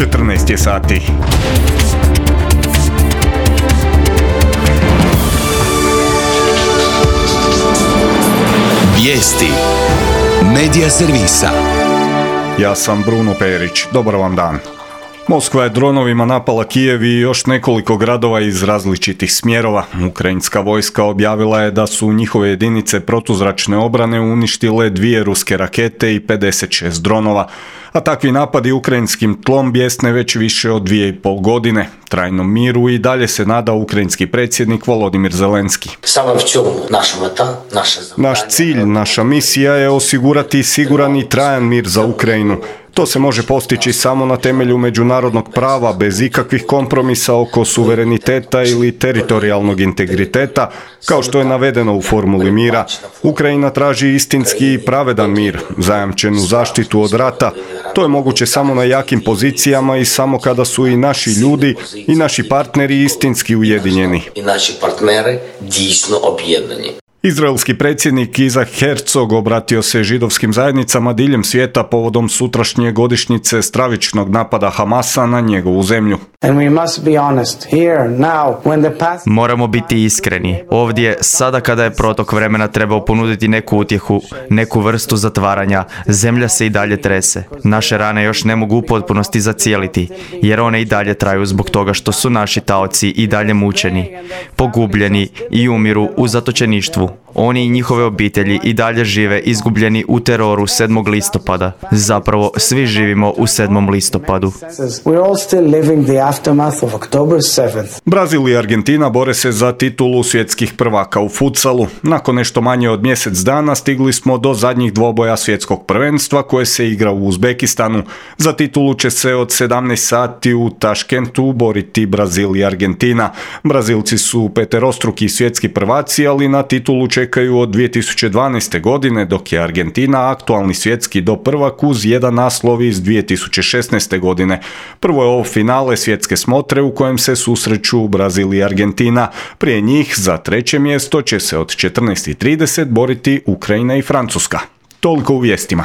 14 je sati. Vijesti Medija servisa. Ja sam Bruno Perić. Dobar vam dan. Moskva je dronovima napala Kijev i još nekoliko gradova iz različitih smjerova. Ukrajinska vojska objavila je da su njihove jedinice protuzračne obrane uništile 2 ruske rakete i 56 dronova. A takvi napadi ukrajinskim tlom bijesne već više od 2,5 godine. Trajnom miru i dalje se nada ukrajinski predsjednik Volodimir Zelenski. Naš cilj, naša misija je osigurati siguran i trajan mir za Ukrajinu. To se može postići samo na temelju međunarodnog prava, bez ikakvih kompromisa oko suvereniteta ili teritorijalnog integriteta, kao što je navedeno u formuli mira. Ukrajina traži istinski i pravedan mir, zajamčenu zaštitu od rata. To je moguće samo na jakim pozicijama i samo kada su i naši ljudi i naši partneri istinski ujedinjeni. Izraelski predsjednik Izak Herzog obratio se židovskim zajednicama diljem svijeta povodom sutrašnje godišnjice stravičnog napada Hamasa na njegovu zemlju. Moramo biti iskreni. Ovdje, sada kada je protok vremena trebao ponuditi neku utjehu, neku vrstu zatvaranja, zemlja se i dalje trese. Naše rane još ne mogu u potpunosti zacijeliti, jer one i dalje traju zbog toga što su naši taoci i dalje mučeni, pogubljeni i umiru u zatočeništvu. Oni i njihove obitelji i dalje žive izgubljeni u teroru 7. listopada. Zapravo, svi živimo u 7. listopadu. Brazil i Argentina bore se za titulu svjetskih prvaka u futsalu. Nakon nešto manje od mjesec dana stigli smo do zadnjih dvoboja svjetskog prvenstva koje se igra u Uzbekistanu. Za titulu će se od 17 sati u Taškentu boriti Brazil i Argentina. Brazilci su peterostruki svjetski prvaci, ali na titulu čekaju od 2012. godine, dok je Argentina aktualni svjetski doprvak uz jedan naslov iz 2016. godine. Prvo je ovo finale svjetske smotre u kojem se susreću Brazil i Argentina. Prije njih za treće mjesto će se od 14:30 boriti Ukrajina i Francuska. Toliko u vijestima.